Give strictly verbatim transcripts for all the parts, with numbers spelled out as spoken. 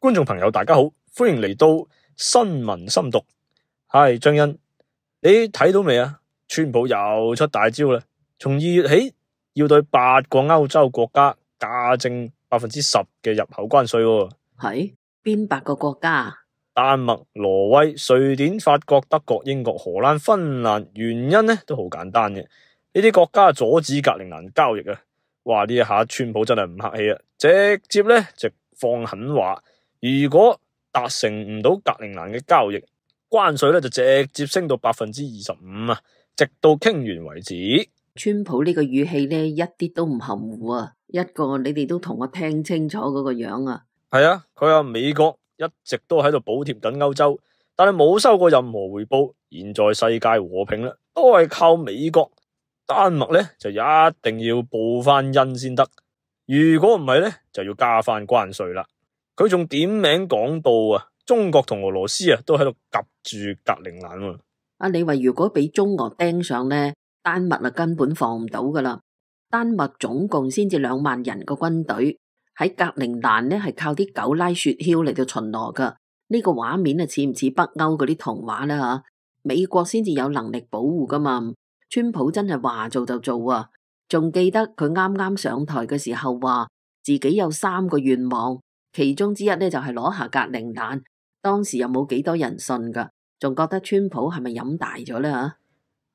觀眾朋友大家好，歡迎嚟到新聞深讀。係張欣，你睇到未啊？川普又出大招啦，從二月起要對八個歐洲國家加徵百分之十嘅入口關稅。係邊八個國家？丹麥、挪威、瑞典、法國、德國、英國、荷蘭、芬蘭。原因呢都好簡單嘅，呢啲國家阻止格陵蘭交易啊！哇！呢一下川普真係唔客氣啊，直接呢就放狠話，如果達成唔到格陵蘭嘅交易，關稅咧就直接升到百分之二十五啊，直到傾完為止。川普呢個語氣咧一啲都唔含糊啊，一個你哋都同我聽清楚嗰個樣啊。係啊，佢話美國一直都喺度補貼緊歐洲，但係冇收過任何回報。現在世界和平啦，都係靠美國。丹麥咧就一定要報翻恩先得，如果唔係咧就要加翻關稅啦。佢仲點名講到啊，中國同俄羅斯啊都喺度夾住格陵蘭。啊，你話如果俾中俄盯上咧，丹麥啊根本放唔到噶啦。丹麥總共先至兩萬人個軍隊喺格陵蘭咧係靠啲狗拉雪橇嚟到巡邏噶。呢個畫面啊似唔似北歐嗰啲童話咧吓？美國先至有能力保護噶嘛。川普真係話做就做啊！仲記得佢啱啱上台嘅時候話自己有三個願望，其中之一咧就係攞下格陵蘭。當時又冇幾多人信噶，仲覺得川普係咪飲大咗咧吓？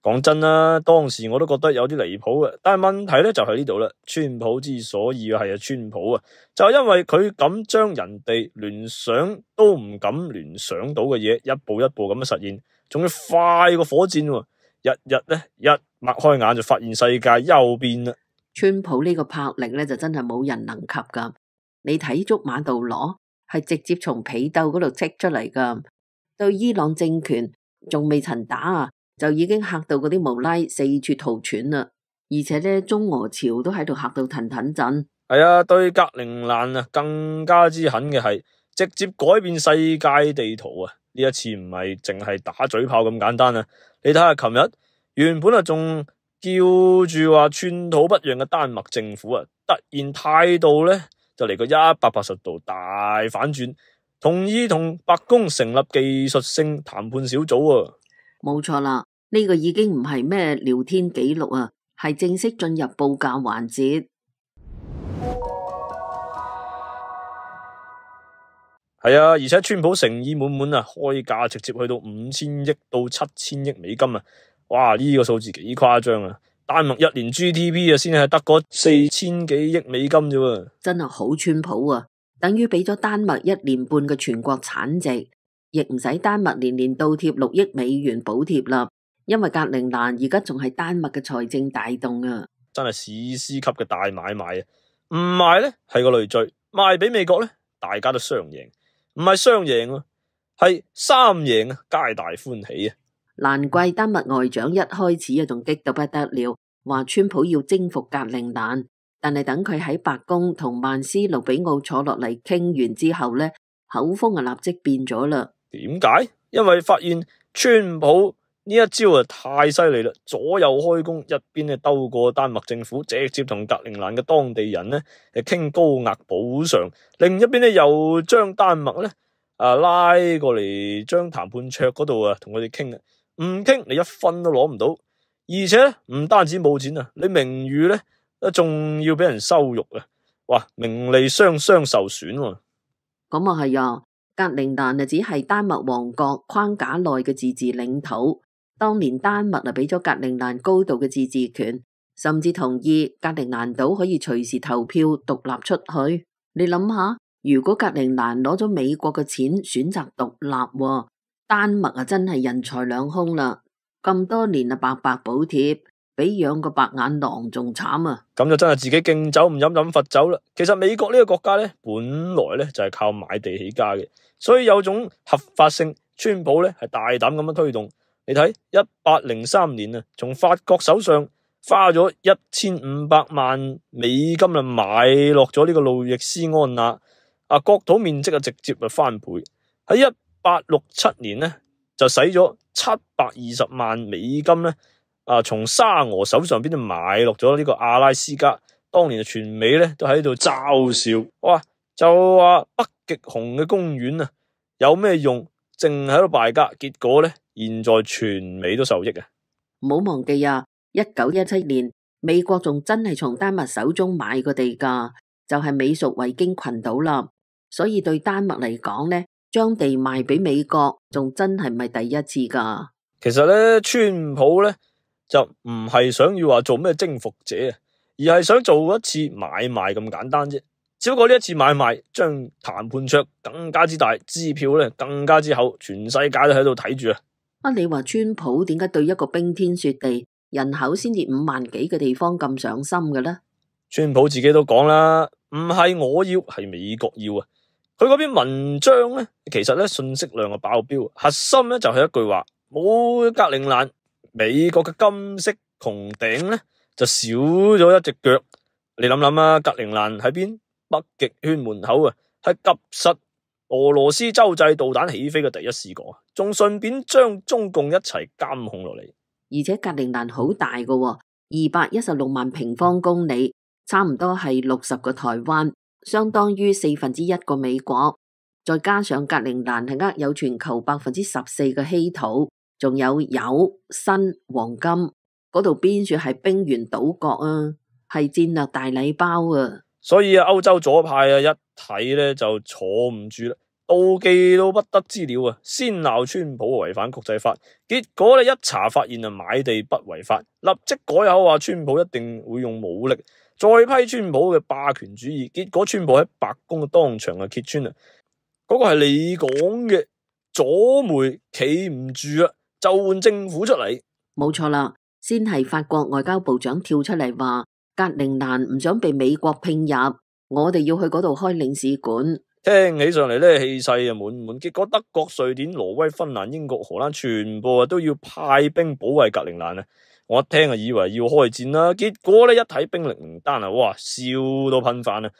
講真啦，當時我都覺得有啲離譜嘅，但係問題咧就喺呢度啦。川普之所以係啊川普啊，就係因為佢敢將人哋聯想都唔敢聯想到嘅嘢，一步一步咁樣實現，仲要快過火箭喎。日日咧一擘開眼就發現世界又變啦。川普呢個魄力咧就真係冇人能及噶。你睇足馬杜羅係直接從被竇嗰度剔出嚟噶，對伊朗政權仲未曾打啊，就已經嚇到嗰啲無拉四處逃竄啦。而且咧中俄朝都喺度嚇到騰騰震。係啊，對格陵蘭啊更加之狠嘅係直接改變世界地圖啊！呢一次唔係淨係打嘴炮咁簡單啊！你睇下，琴日原本啊仲叫住話寸土不讓嘅丹麥政府啊，突然態度咧就嚟個一百八十度大反轉，同意同白宮成立技術性談判小組啊！冇錯啦，呢個已經唔係咩聊天記錄啊，係正式進入報價環節。係啊，而且川普誠意滿滿啊，開價直接去到五千億到七千億美金啊！哇，呢個數字幾誇張啊！丹麥一年 G D P 啊，先係得嗰四千幾億美金啫，真係好川普啊！等於俾咗丹麥一年半嘅全國產值，亦唔使丹麥年年倒貼六億美元補貼啦。因為格陵蘭而家仲係丹麥嘅財政大洞啊！真係史詩級嘅大買賣啊！唔賣咧係個累贅，賣俾美國咧大家都雙贏。唔係雙贏啊，係三贏啊，皆大歡喜啊！難怪丹麥外長一開始啊仲激到不得了，話川普要征服格陵蘭，但係等佢喺白宮同曼斯盧比奧坐落嚟傾完之後咧，口風啊立即變咗啦。點解？因為發現川普呢一招啊太犀利啦，左右開弓，一邊咧兜過丹麥政府，直接同格陵蘭嘅當地人咧誒傾高額補償，另一邊咧又將丹麥咧啊拉過嚟，將談判桌嗰度啊同佢哋傾啊，唔傾你一分都攞唔到，而且咧唔單止冇錢啊，你名譽咧仲要俾人羞辱啊！哇，名利雙雙受損喎。咁啊係啊，格陵蘭啊只係丹麥王國框架內嘅自治領土。當年丹麥啊俾咗格陵蘭高度嘅自治權，甚至同意格陵蘭島可以隨時投票獨立出去。你諗下，如果格陵蘭攞咗美國嘅錢選擇獨立，丹麥啊真係人財兩空啦！咁多年啊白白補貼，比養個白眼狼仲慘啊！咁就真係自己敬酒唔飲飲罰酒啦。其實美國呢個國家咧，本來咧就係靠買地起家嘅，所以有種合法性。川普咧係大膽咁樣推動。你睇一八零三年啊，從法國手上花咗一千五百萬美金啊，買落咗呢個路易斯安那啊，國土面積啊直接啊翻倍。喺一八六七年咧就使咗七百二十萬美金咧啊，從沙俄手上邊就買落咗呢個阿拉斯加。當年全美咧都喺度嘲笑，哇！就話北極熊嘅公園啊，有咩用？淨喺度敗家，結果咧，現在全美都受益啊！唔好忘記啊，一九一七年美國仲真係從丹麥手中買過地噶，就係美屬維京群島啦。所以對丹麥嚟講呢，將地賣俾美國，仲真係唔係第一次噶。其實咧，川普咧就唔係想要話做咩征服者啊，而係想做一次買賣咁簡單啫。只不過呢一次買賣將談判桌更加之大，支票咧更加之厚，全世界都喺度睇住啊！啊，你話川普點解對一個冰天雪地、人口先至五萬幾嘅地方咁上心嘅呢？川普自己都講啦，唔係我要，係美國要啊！佢嗰篇文章咧，其實咧信息量係爆表，核心咧就係一句話：冇格陵蘭，美國嘅金色穹頂咧就少咗一隻腳。你諗諗啊，格陵蘭喺邊？北極圈門口啊，係及實俄羅斯洲際導彈起飛嘅第一視角啊，仲順便將中共一齊監控落嚟。而且格陵蘭好大噶，二百一十六萬平方公里，差唔多係六十個台灣，相當於四分之一個美國。再加上格陵蘭係握有全球百分之十四嘅稀土，仲有鈾、砷、黃金，嗰度邊處係冰原島國啊，係戰略大禮包啊！所以啊，歐洲左派啊，一睇咧就坐唔住啦，妒忌到不得之了啊！先鬧川普違反國際法，結果咧一查發現啊，買地不違法，立即改口話川普一定會用武力，再批川普嘅霸權主義。結果川普喺白宮當場啊揭穿啊，嗰個係你講嘅左媒企唔住啊，就換政府出嚟。冇錯啦，先係法國外交部長跳出嚟話，格陵蘭唔想被美國併入，我哋要去嗰度開領事館。聽起上嚟咧氣勢啊滿滿，結果德國、瑞典、挪威、芬蘭、英國、荷蘭全部啊都要派兵保衛格陵蘭啊！我一聽啊以為要開戰啦，結果咧一睇兵力名單啊，哇笑到噴飯啊！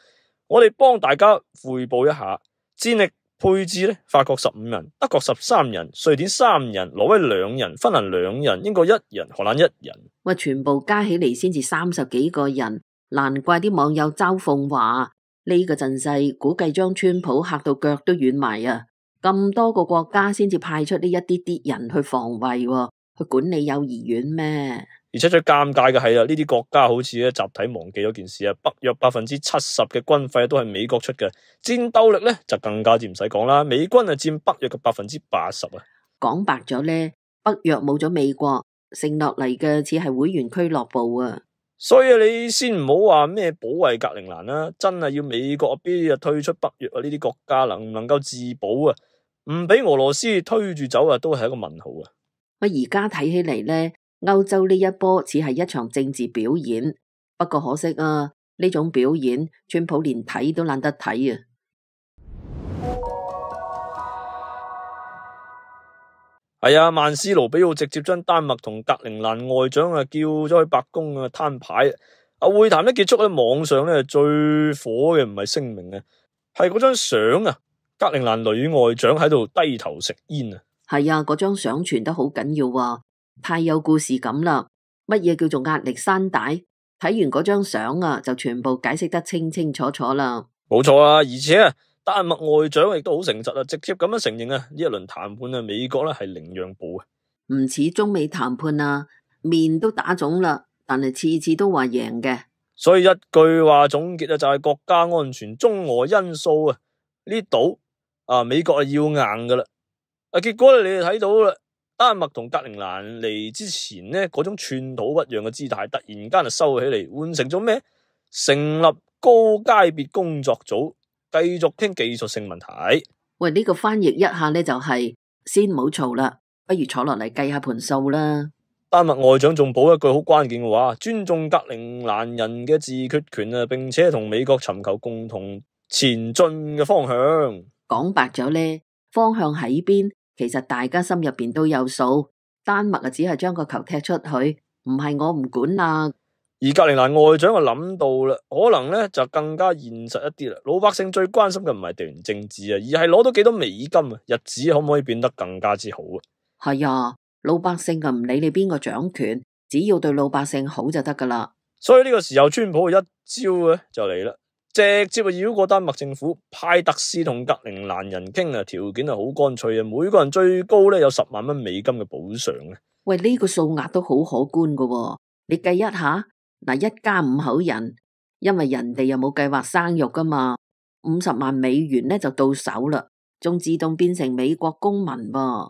我哋幫大家匯報一下戰力配置咧，法國十五人，德國十三人，瑞典三人，挪威兩人，芬蘭兩人，英國一人，荷蘭一人。喂，全部加起嚟先至三十幾個人，難怪啲網友嘲諷話呢個陣勢，估計將川普嚇到腳都軟埋啊！咁多個國家先至派出呢一啲啲人去防衛，去管理幼兒園咩？而且最尷尬嘅係啊，呢啲國家好似咧集體忘記咗件事啊，北約百分之七十嘅軍費都係美國出嘅，戰鬥力咧就更加之唔使講啦，美軍啊佔北約嘅百分之八十啊。講白咗咧，北約冇咗美國，剩落嚟嘅只係會員俱樂部啊。所以你先唔好話咩保衛格陵蘭啦，真係要美國邊日退出北約啊？呢啲國家能唔能夠自保啊？唔俾俄羅斯推住走啊，都係一個問號啊！我而家睇起嚟咧，歐洲呢一波似係一場政治表演，不過可惜啊，呢種表演川普連睇都懶得睇啊！係啊，曼斯盧比奧直接將丹麥同格陵蘭外長啊叫咗去白宮啊攤牌啊！會談一結束咧，網上咧最火嘅唔係聲明啊，係嗰張相啊，格陵蘭女外長喺度低頭食煙啊！係啊，嗰張相傳得好緊要啊，太有故事感啦！乜嘢叫做壓力山大？睇完嗰張相啊，就全部解釋得清清楚楚啦。冇錯啊，而且啊，丹麥外長亦都好誠實啊，直接咁樣承認啊，呢一輪談判啊，美國咧係零讓步啊，唔似中美談判啊，面都打腫啦，但係次次都話贏嘅。所以一句話總結啊，就係國家安全、中俄因素啊，呢度啊，美國係要硬噶啦。啊，結果咧，你哋睇到啦，丹麥同格陵蘭嚟之前呢，嗰種寸土不讓嘅姿態，突然間就收起嚟，換成咗咩？成立高階別工作組，繼續傾技術性問題。喂，呢個翻譯一下呢，就係先唔好嘈啦，不如坐落嚟計下盤數啦。丹麥外長仲補一句好關鍵嘅話，尊重格陵蘭人嘅自決權啊，並且同美國尋求共同前進嘅方向。講白咗呢，方向喺邊？其實大家心入邊都有數，丹麥啊只係將個球踢出去，唔係我唔管啦。而格陵蘭外長就諗到啦，可能咧就更加現實一啲啦。老百姓最關心嘅唔係地緣政治啊，而係攞到幾多美金啊，日子可唔可以變得更加之好啊？係啊，老百姓啊唔理你邊個掌權，只要對老百姓好就得噶啦。所以呢個時候，川普一招咧就嚟啦，直接啊繞過丹麥政府，派特使同格陵蘭人傾啊，條件啊好乾脆啊，每個人最高咧有十萬蚊美金嘅補償啊。喂，呢個數額都好可觀噶喎，你計一下，嗱，一家五口人，因為人哋又冇計劃生育噶嘛，五十萬美元咧就到手啦，仲自動變成美國公民噃。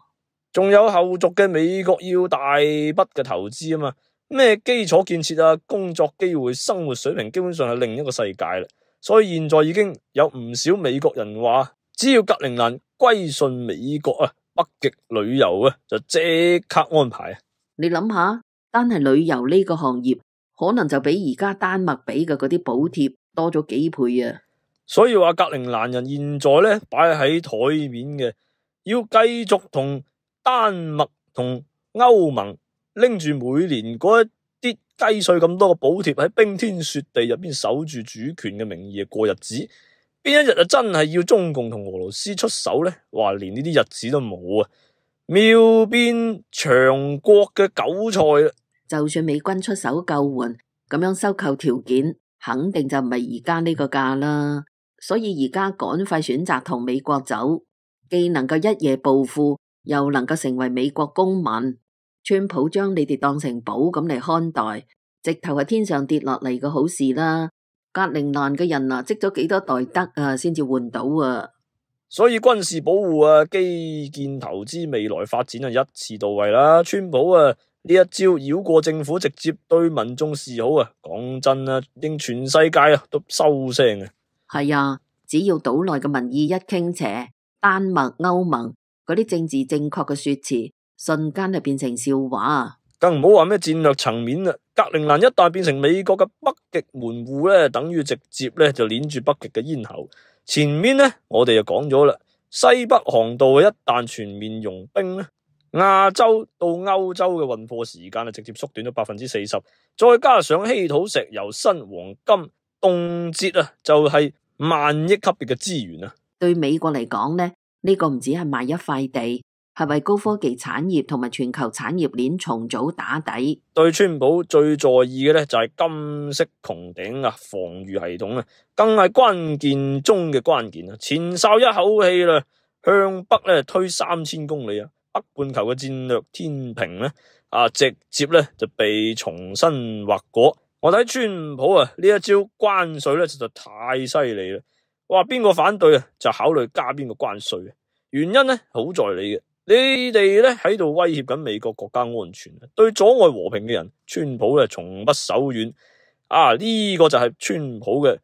仲有後續嘅美國要大筆嘅投資啊嘛，咩基礎建設啊、工作機會、生活水平基本上係另一個世界啦。所以現在已經有唔少美國人話，只要格陵蘭歸順美國啊，北極旅遊啊就即刻安排啊。你諗下，單係旅遊呢個行業，可能就比而家丹麥俾嘅嗰啲補貼多咗幾倍啊。所以話格陵蘭人現在咧擺喺台面嘅，要繼續同丹麥同歐盟拎住每年嗰一啲雞碎咁多嘅補貼，喺冰天雪地入邊守住主權嘅名義過日子，邊一日啊真係要中共同俄羅斯出手呢？話連呢啲日子都冇啊！妙變長國嘅韭菜啦！就算美軍出手救援，咁樣收購條件肯定就唔係而家呢個價啦。所以而家趕快選擇同美國走，既能夠一夜暴富，又能夠成為美國公民。川普將你哋當成寶咁嚟看待，直頭係天上跌落嚟嘅好事啦。格陵蘭嘅人啊，積咗幾多代德啊，先至換到啊！所以軍事保護啊、基建投資、未來發展啊，一次到位啦。川普啊呢一招繞過政府，直接對民眾示好啊！講真啊，令全世界啊都收聲啊！係啊，只要島內嘅民意一傾斜，丹麥、歐盟嗰啲政治正確嘅說辭，瞬間就變成笑話。更唔好話咩戰略層面啦，格陵蘭一旦變成美國嘅北極門戶咧，等於直接咧就鏈住北極嘅咽喉。前面咧我哋就講咗啦，西北航道一旦全面融冰咧，亞洲到歐洲嘅運貨時間啊直接縮短咗百分之四十，再加上稀土、石油、砷、黃金，動輒啊就係萬億級別嘅資源啊！對美國嚟講呢，呢個唔止係賣一塊地，係為高科技產業同埋全球產業鏈重組打底。對川普最在意嘅咧就係金色穹頂啊，防禦系統啊，更係關鍵中嘅關鍵啊！前哨一口氣啦，向北咧推三千公里啊，北半球嘅戰略天平咧啊，直接咧就被重新劃過。我睇川普啊呢一招關稅咧實在太犀利啦！哇，邊個反對啊就考慮加邊個關稅啊？原因咧好在你嘅。你哋咧喺度威脅緊美國國家安全，對阻礙和平嘅人，川普咧從不手軟。啊，呢、這個就係川普嘅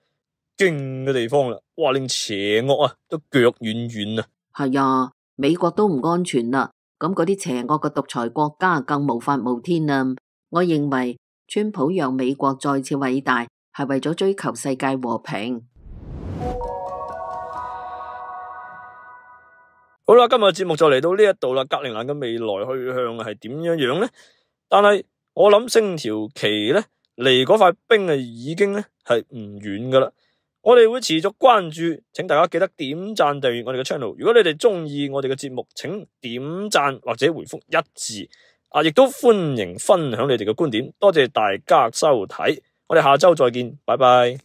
勁嘅地方啦！哇，令邪惡啊都腳軟軟啊！係啊，美國都唔安全啦，咁嗰啲邪惡嘅獨裁國家更無法無天啦。我認為川普讓美國再次偉大，係為咗追求世界和平。好啦，今日嘅節目就嚟到呢一度啦。格陵蘭嘅未來去向係點樣樣呢？但係我諗星條旗咧離嗰塊冰啊已經咧係唔遠噶啦。我哋會持續關注，請大家記得點讚訂閱我哋嘅 channel。如果你哋中意我哋嘅節目，請點讚或者回覆一字啊，亦都歡迎分享你哋嘅觀點。多謝大家收睇，我哋下周再見，拜拜。